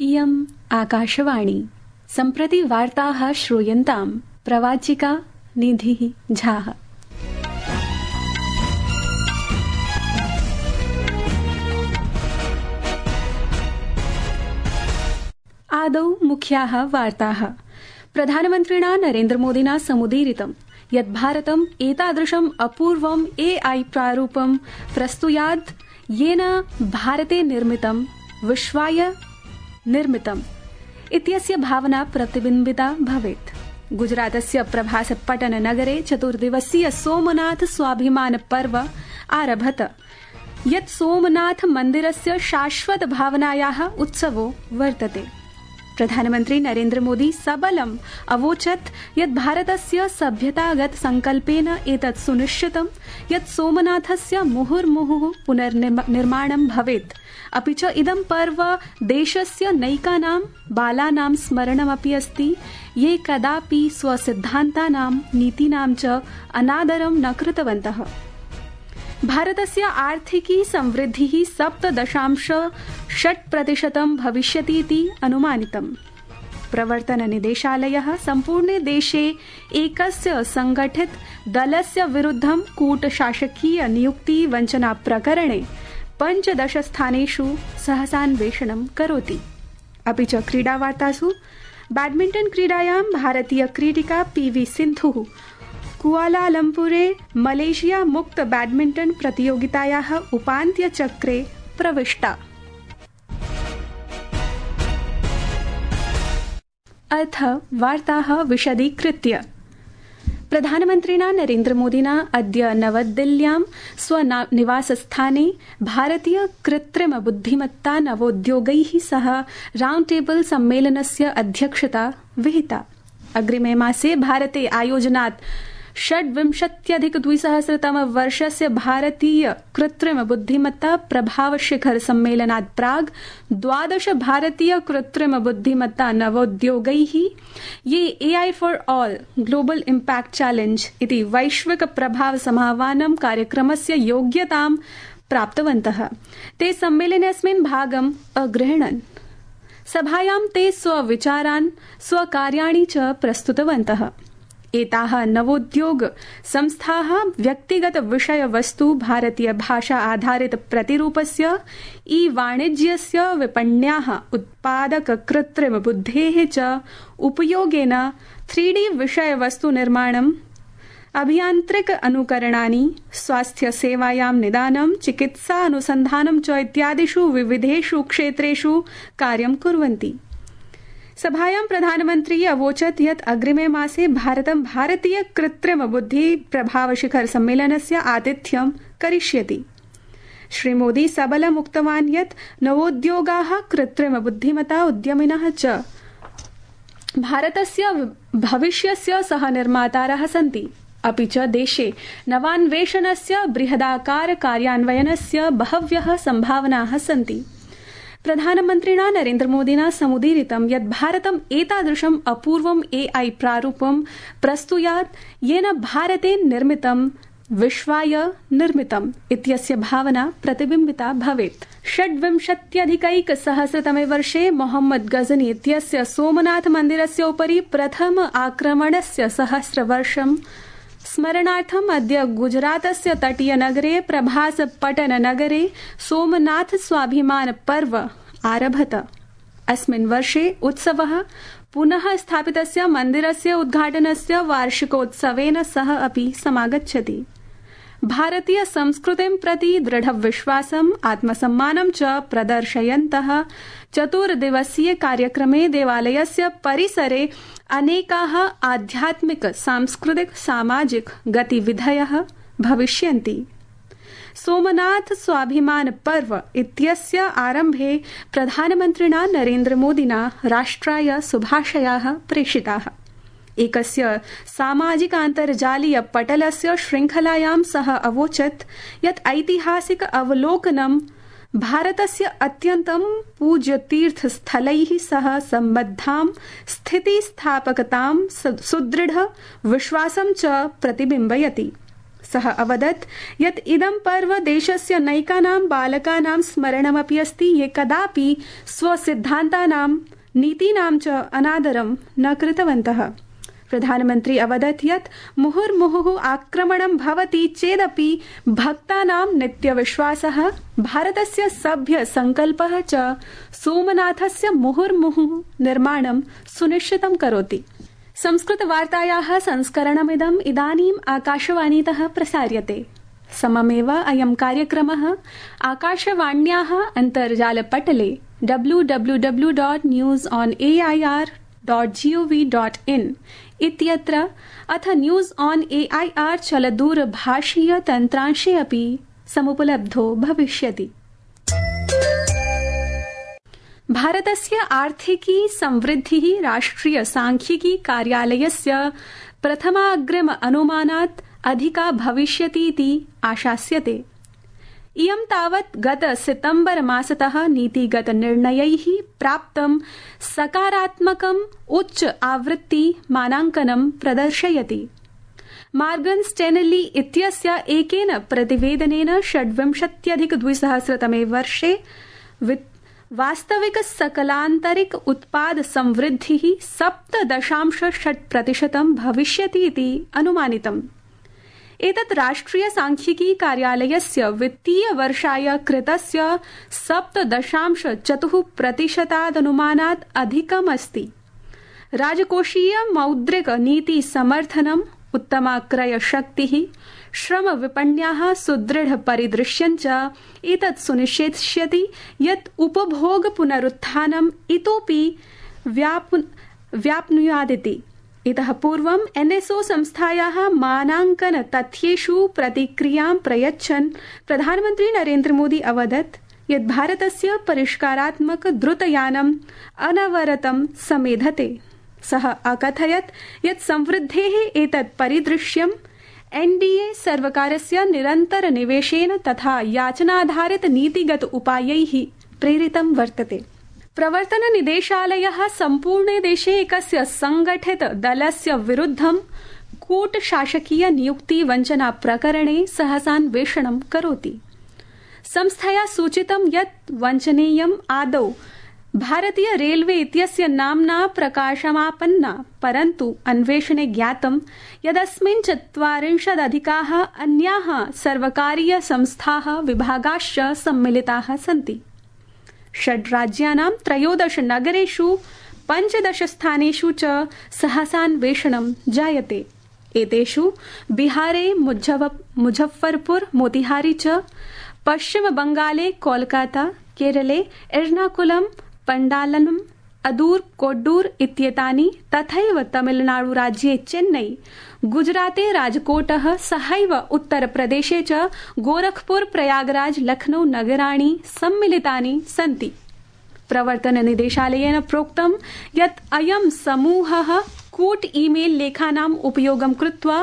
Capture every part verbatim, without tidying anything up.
इयम् आकाशवाणी। सम्प्रति वार्ताः श्रूयन्ताम्। प्रवाचिका निधिः झाः। आदौ मुख्याः वार्ताः। प्रधानमन्त्रिणा नरेन्द्रमोदिना समुदीरितं यत् भारतम् एतादृशम् अपूर्वम् एआई प्रारूपं प्रस्तुयात् येन भारते निर्मितं विश्वाय निर्मितम् इत्यस्य भावना प्रतिबिम्बिता भवेत्। गुजरातस्य प्रभासपट्टन नगरे चतुर्दिवसीय सोमनाथ स्वाभिमान पर्व आरभत, यत् सोमनाथ मन्दिरस्य शाश्वत भावनायाः उत्सवो वर्तते। प्रधानमन्त्री नरेन्द्र मोदी सबलम् अवोचत् यत् भारतस्य सभ्यतागत संकल्पेन एतत् सुनिश्चितं यत् सोमनाथस्य मुहुर्मुहुः पुनर्निर्माणं भवेत्, अपि च इदं पर्व देशस्य नैकानां बालानां स्मरणमपि अस्ति ये कदापि स्वसिद्धान्तानां नीतीनां च अनादरं न कृतवन्तः। भारतस्य आर्थिकी संवृद्धिः सप्त दशांश षट् प्रतिशतं भविष्यति इति अनुमानितम्। प्रवर्तन निदेशालयः सम्पूर्णे देशे एकस्य संगठित दलस्य विरुद्धं कूटशासकीय नियुक्ति वञ्चना प्रकरणे पञ्चदश स्थानेषु सहसान्वेषणं करोति। अपि च क्रीडावार्तासु बैडमिण्टन क्रीडायां भारतीय क्रीडिका पीवी सिन्धुः कुआलालम्पुरे मलेशिया मुक्त बैडमिण्टन प्रतियोगितायाः उपान्त्यचक्रे प्रविष्टा। अथ वार्ताः विशदीकृत्य। प्रधानमन्त्रिणा नरेन्द्रमोदिना अद्य नवदिल्ल्यां स्वनिवासस्थाने भारतीय कृत्रिम बुद्धिमत्ता नवोद्योगैः सह राउण्ड टेबल सम्मेलनस्य अध्यक्षता विहिता। अग्रिमे मासे भारते आयोजनात् षड्विंशत्यधिकद्विसहस्रतमवर्षस्य भारतीय कृत्रिम बुद्धिमत्ता प्रभाव शिखर सम्मेलनात् प्राग् द्वादश भारतीय कृत्रिम बुद्धिमत्ता नवोद्योगैः ये AI for all global impact challenge इति वैश्विक प्रभाव समाह्वानं कार्यक्रमस्य योग्यतां प्राप्तवन्तः। ते सम्मेलनेऽस्मिन् भागम् अगृह्णन्। सभायां ते स्वविचारान् स्वकार्याणि च प्रस्तुतवन्तः। एताः नवोद्योग संस्थाः व्यक्तिगत विषय वस्तु भारतीय भाषा आधारित प्रतिरूपस्य ई वाणिज्यस्य विपण्याः उत्पादक कृत्रिम बुद्धेः च उपयोगेन थ्री डी विषय वस्तु निर्माणम्, अभियान्त्रिक अनुकरणानि, स्वास्थ्य सेवायां निदानं, चिकित्सा अनुसन्धानं च इत्यादिषु विविधेषु क्षेत्रेषु कार्यं कुर्वन्ति। सभायां प्रधानमन्त्री अवोचत् यत् अग्रिमे मासे भारतं भारतीय कृत्रिम बुद्धि प्रभाव शिखर सम्मेलनस्य आतिथ्यं करिष्यति। श्रीमोदी सबलम् उक्तवान् यत् नवोद्योगाः कृत्रिम बुद्धिमता उद्यमिनः च भारतस्य भविष्यस्य सह निर्मातारः सन्ति, अपि च देशे नवान्वेषणस्य बृहदाकार कार्यान्वयनस्य बहव्यः सम्भावनाः सन्ति। प्रधानमन्त्रिणा नरेन्द्रमोदिना समुदीरितं यत् भारतम् एतादृशम् अपूर्वम् एआई प्रारूपं प्रस्तुयात् येन भारते निर्मितं विश्वाय निर्मितम् इत्यस्य भावना प्रतिबिम्बिता भवेत्। षड्विंशत्यधिकैकसहस्रतमे वर्षे मोहम्मद गजनी इत्यस्य सोमनाथ मन्दिरस्य उपरि प्रथम आक्रमणस्य सहस्रवर्षं स्मरणार्थम् अद्य गुजरातस्य तटीयनगरे प्रभासपट्टन नगरे सोमनाथ स्वाभिमान पर्व आरभत। अस्मिन् वर्षे उत्सवः पुनः स्थापितस्य मन्दिरस्य उद्घाटनस्य वार्षिकोत्सवेन सह अपि समागच्छति। भारतीय संस्कृतिं प्रति दृढविश्वासम् आत्मसम्मानं च प्रदर्शयन्तः चतुर्दिवसीय कार्यक्रमे देवालयस्य परिसरे अनेकाः आध्यात्मिक सांस्कृतिक सामाजिक गतिविधयः भविष्यन्ति। सोमनाथ स्वाभिमान पर्व इत्यस्य आरम्भे प्रधानमन्त्रिणा नरेन्द्रमोदिना राष्ट्राय शुभाशयाः प्रेषिताः। एकस्य सामाजिकान्तर्जालीय पटलस्य श्रृंखलायां सः अवोचत् यत् ऐतिहासिक अवलोकनं भारतस्य अत्यन्तं पूज्यतीर्थस्थलैः सह सम्बद्धां स्थितिस्थापकतां सुदृढ विश्वासं च प्रतिबिम्बयति। सः अवदत् यत् इदं पर्व देशस्य नैकानां बालकानां स्मरणमपि अस्ति ये कदापि स्वसिद्धान्तानां नीतीनां च अनादरं न कृतवन्तः। प्रधानमन्त्री अवदत् यत् मुहुर्मुहुः आक्रमणं भवति चेदपि भक्तानां नित्यविश्वासः भारतस्य सभ्य संकल्पः च सोमनाथस्य मुहुर्मुहुः निर्माणं सुनिश्चितं करोति। संस्कृतवार्तायाः संस्करणमिदम् इदानीम् आकाशवाणीतः प्रसार्यते। सममेव अयं कार्यक्रमः आकाशवाण्याः अन्तर्जालपटले W W W dot news on A I R dot G O V dot in इत्यत्र अथ news on A I R चलदूरभाषीय तन्त्रांशे अपि समुपलब्धो भविष्यति। भारतस्य आर्थिकी समृद्धिः राष्ट्रिय सांख्यिकी कार्यालयस्य प्रथमाग्रिम अनुमानात् अधिका भविष्यतीति आशास्यते। इयं तावत् गत सितम्बर मासतः नीतिगत निर्णयैः प्राप्तं सकारात्मकम् उच्च आवृत्ति मानाङ्कनं प्रदर्शयति। मार्गन स्टेनली इत्यस्य एकेन प्रतिवेदनेन षड्विंशत्यधिक द्विसहस्रतमे वर्षे वास्तविक सकलान्तरिक उत्पाद समृद्धिः सप्त दशांश षट् प्रतिशतं भविष्यति इति अनुमानितम्। एतत् राष्ट्रिय सांख्यिकी कार्यालयस्य वित्तीय वर्षाय कृतस्य सप्त दशांश चतुः प्रतिशतादनुमानात् अधिकम् अस्ति। राजकोषीय मौद्रिक नीति समर्थनम्, उत्तमा क्रय शक्तिः, श्रम विपण्याः सुदृढ परिदृश्यं च एतत् सुनिश्चेष्यति यत् उपभोग पुनरुत्थानम् इतोपि व्याप्नुयादिति। इतः पूर्वम् एन एस ओ संस्थायाः मानाङ्कन तथ्येषु प्रतिक्रियां प्रयच्छन् प्रधानमन्त्री नरेन्द्र मोदी अवदत् यत् भारतस्य परिष्कारात्मक द्रुतयानम् अनवरतं समेधते। सः अकथयत् यत् समृद्धेः एतत् परिदृश्यम् एन डी ए सर्वकारस्य निरन्तर निवेशेन तथा याचनाधारित नीतिगत उपायैः प्रेरितं वर्तते। प्रवर्तन निदेशालयः सम्पूर्णे देशे एकस्य संगठित दलस्य विरुद्धं कूटशासकीय नियुक्ति वञ्चना प्रकरणे सहसान्वेषणं करोति। संस्थया सूचितं यत् वञ्चनेयम् आदौ भारतीय रेलवे इत्यस्य नाम्ना प्रकाशमापन्ना, परन्तु अन्वेषणे ज्ञातं यदस्मिन् चत्वारिंशदधिकाः अन्याः सर्वकारीय संस्थाः विभागाश्च सम्मिलिताः सन्ति। षड् राज्यानां त्रयोदश नगरेषु पञ्चदश स्थानेषु च सहसान्वेषणं जायते। एतेषु बिहारे मुझफ्फरपुर, मोतिहारी च, पश्चिम बंगाले कोलकाता, केरले एर्नाकुलम, पंडालनम, अदूर, कोड्डूर इत्येतानि, तथैव तमिलनाडु राज्ये चेन्नई, गुजराते राजकोटः, सहैव उत्तरप्रदेशे च गोरखपुर, प्रयागराज, लखनऊ नगराणि सम्मिलितानि सन्ति। प्रवर्तन निदेशालयेन प्रोक्तं यत् अयं समूहः कूट ईमेल लेखानाम् उपयोगं कृत्वा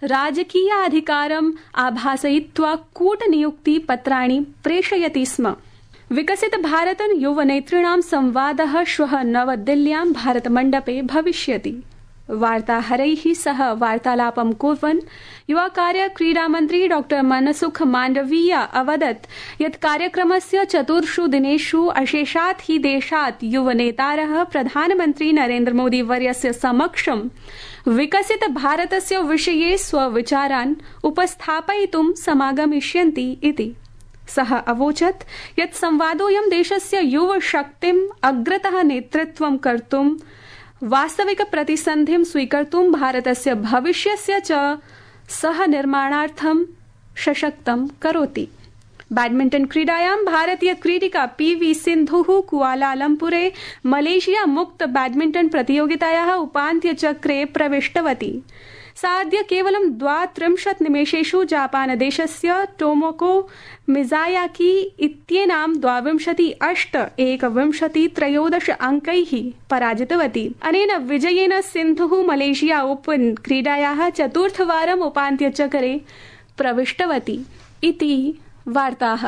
राजकीयाधिकारम् आभासयित्वा कूटनियुक्ति पत्राणि प्रेषयति स्म। विकसित भारत युवनेतॄणां संवादः श्वः नवदिल्ल्यां भारतमण्डपे भविष्यति। वार्ताहरैः सह वार्तालापं कुर्वन् युवा कार्य क्रीडा मन्त्री डॉ मनसुख माण्डवीय अवदत् यत् कार्यक्रमस्य चतुर्षु दिनेषु अशेषात् हि देशात् युवनेतारः प्रधानमन्त्री नरेन्द्र मोदी वर्यस्य समक्षं विकसित भारतस्य विषये स्वविचारान् उपस्थापयितुं समागमिष्यन्ति इति। सः अवोचत् यत् संवादोऽयं देशस्य युवशक्तिम् अग्रतः नेतृत्वं कर्तुं, वास्तविक प्रतिसन्धिं स्वीकर्तुं, भारतस्य भविष्यस्य च सह निर्माणार्थं सशक्तं करोति। बैडमिण्टन क्रीडायां भारतीय क्रीडिका पी वी सिन्धुः कुआलालम्पुरे मलेशिया मुक्त बैडमिण्टन प्रतियोगितायाः उपान्त्यचक्रे प्रविष्टवती। सा अद्य केवलं द्वात्रिंशत् निमेषेषु जापानदेशस्य टोमोको मिज़ायाकी इत्येनां द्वाविंशति अष्ट एकविंशति त्रयोदश अंकैः पराजितवती। अनेन विजयेन सिन्धुः मलेशिया ओपन क्रीडायाः चतुर्थवारम् उपान्त्यचक्रे प्रविष्टवती इति वार्ताः।